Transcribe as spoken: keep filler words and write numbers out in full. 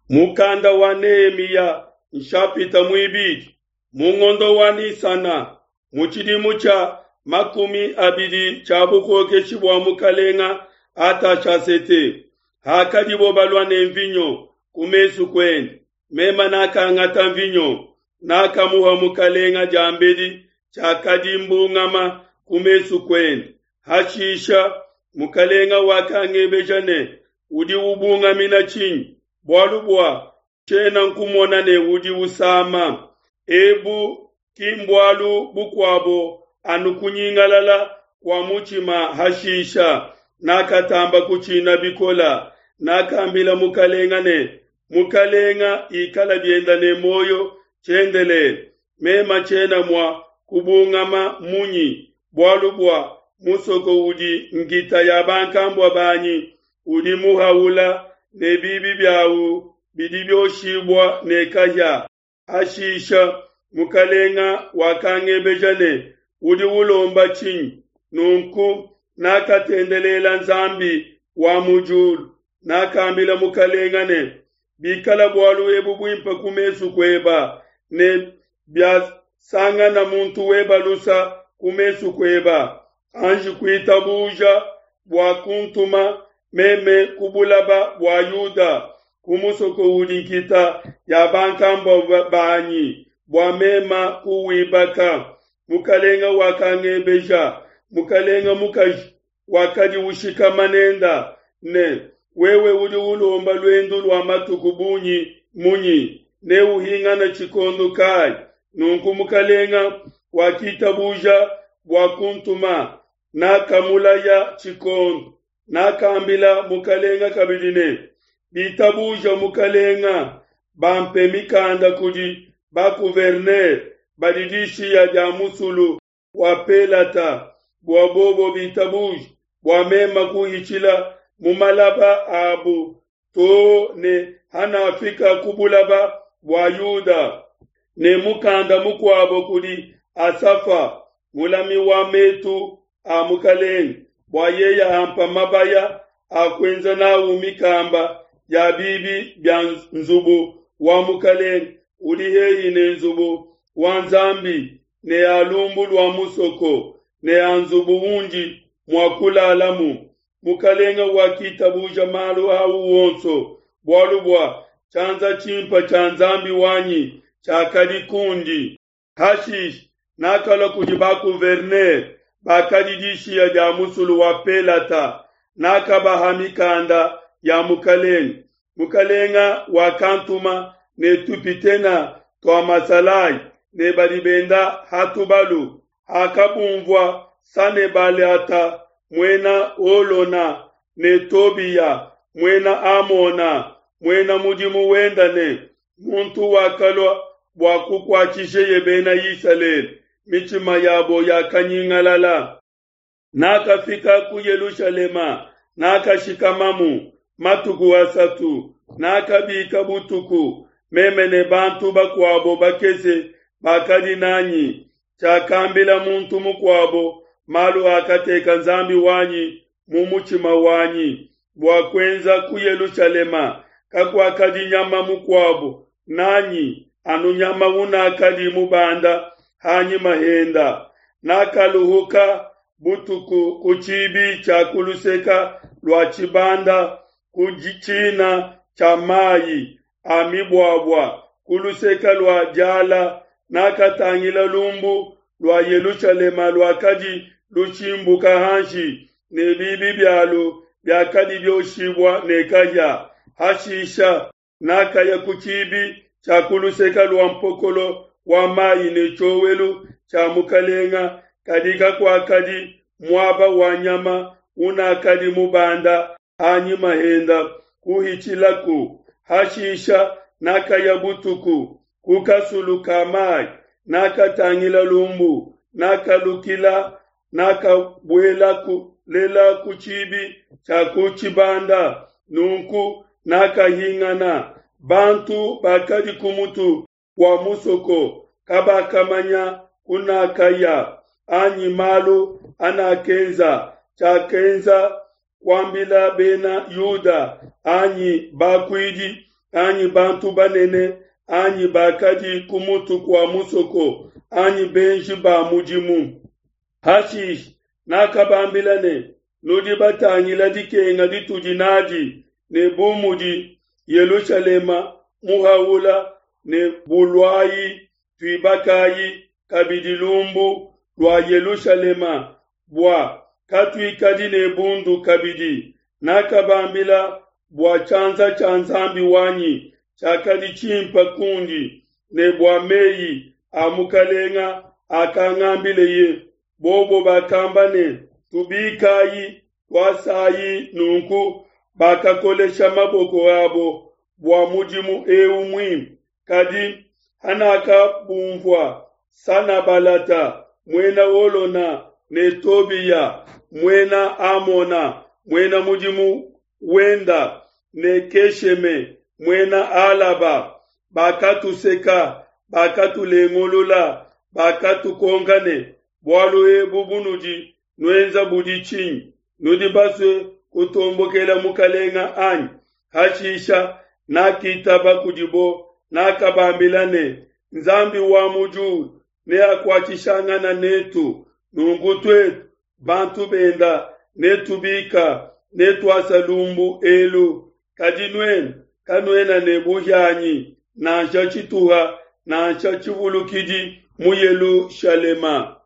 Mukanda wa Nehemiya nshapita muibidi mu ngondo wa Nisana mu tshidimu tshia makumi abidi tshia bukokeshi bua mukalenga Atashasete, hakadibo balua ne mvinyo ku mesu kuende, mema nakangata mvinyo, nakamuha mukalenga diambedi tshiakadi mbungama ku mesu kuende. Hashisha mukalenga wakangebeja ne, udi ubungamina tshinyi? Bualu bua tshiena nkumona ne udi usama. Ebu ki mbualu bukuabo anu kunyingalala kua mutshima. Hashisha nakatamba kutshina bikola, nakambila mukalenga ne, mukalenga ikala bienda ne muoyo tshiendelele. Mema tshiena mua kubungama munyi, bualu bua musoko udi nkita ya bankambua banyi udi muhaula ne bibi biawu bidi bioshibua ne kahia. Hashisha mukalenga wakangebeja ne, udi ulomba tshinyi? Nunku nakatendelela Nzambi wa mu diulu. Nakambila mukalenga ne, bikala bualu ebu buimpe ku mesu kueba, ne biasangana muntu weba lusa ku mesu kueba, anji kuitabuja bua kuntuma meme ku bulaba bua Yuda, ku musoko udi nkita ya bankambua banyi, bua mema kuwibaka. Mukalenga wakangebeja, mukalenga mukaji wakadi ushikama nenda ne, wewe udi ulomba luendu lua matuku bungi munyi, ne uhingana tshikondo kayi? Nunku mukalenga wakitabuja bua kuntuma, nakamulaya tshikondo. Nakambila mukalenga kabidi ne, bitabuja mukalenga, bampe mikanda kudi ba-gouverneur badi dishiya dia musulu wa Pelata, bua bobo bitabuje bua mema kuhitshila mu malaba abu to ne hanafika ku bulaba bua Yuda. Ne mukanda mukuabo kudi Asafa, mulami wa metu a mukalenge, bua yeya ampa mabaya a kuenza nawu mikamba ya bibi bia nzubu wa mukalenge udi hehi ne nzubu wa Nzambi ne a lumbu lua musoko ne a nzubu undi mua kulalamu. Mukalenga wakitabuja malu au wonso, bualu bua tshianza tshimpe tshia Nzambi wanyi tshiakadi kundi. Hashisha nakalua kudi ba-gouverneur bakadi dishiya dia musulu wa Pelata, nakabaha mikanda ya mukalenge. Mukalenga wakantuma ne tupitena tua masalayi ne badi benda ha tubalu. Hakabumvua Sanebalata muena Holona ne Tobiya muena Amona muena mudimu wenda ne muntu wakalua bua kukuatshisheye bena Isalele, mitshima yabo yakanyingalala. Nakafika ku Yelushalema, nakashikamamu matuku asatu. Nakabika butuku, meme ne bantu bakuabo bakese bakadi nanyi. Tshiakambila muntu mukuabo malu akateka Nzambi wanyi mu mutshima wanyi bua kuenza ku Yelushalema. Kakuakadi nyama mukuabo nanyi, anu nyama unakadi mubanda hanyima henda. Nakaluhuka butuku ku tshibi tshia kuluseka lua tshibanda ku tshina tshia mayi a mibuabua ku luseka lua diala. Nakatangila lumbu lua Yelushalema luakadi lushimbuka hanshi, ne bibi bialu biakadi bioshibua ne kahia. Hashisha nakaya ku tshibi tshia kuluseka lua mpokolo wa mayi ne tshiowelu tshia mukalenga, kadi kakuakadi muaba wa nyama unakadi mubanda hanyima henda kuhitshilaku. Hashisha nakaya butuku ku kasulu ka mayi, nakatangila lumbu, nakalukila, nakabuelaku lela ku tshibi tshia ku tshibanda. Nunku nakahingana. Bantu bakadi ku mutu wa musoko kabakamanya kunakaya anyi malu anakenza. Tshiakenza kuambila bena Yuda anyi bakuidi anyi bantu banene anyi bakadi ku mutu kua musoko anyi benji ba mudimu. Hashishe nakabambila ne, Nudi batangila dikenga ditudi n'adi ne bu mudi Yelushalema muhaula ne buluayi tuibakayi kabidi lumbu lua Yelushalema bua katuikadi ne bundu kabidi. Nakabambila bua tshianza tshia Nzambi wanyi tshiakadi tshimpe kundi ne bua meyi a mukalenga akangambileye. Bobo bakamba ne, Tubikayi, tuasayi. Nunku bakakolesha maboko abo bua mudimu eu muimpe. Kadi hanakabunvua, Sanabalata, Muena Holona, ne Tobiya, Muena Amona, muena mudimu wenda, ne Kesheme, Muena Alaba, bakatuseka, bakatulengulula, bakatukonka ne, Bualu ebu bunudi nuenza budi tshinyi? Nudi basue kutombokela mukalenga, anyi? Hashisha nakitaba kudibo, nakabambila ne, Nzambi wa mu diulu neakuatshishangana netu, nunku tuetu bantu benda netubika netuasa lumbu elu. Kadi nuenu kanuena ne buhianyi nansha tshituha nansha tshivulukidi mu Yelushalema.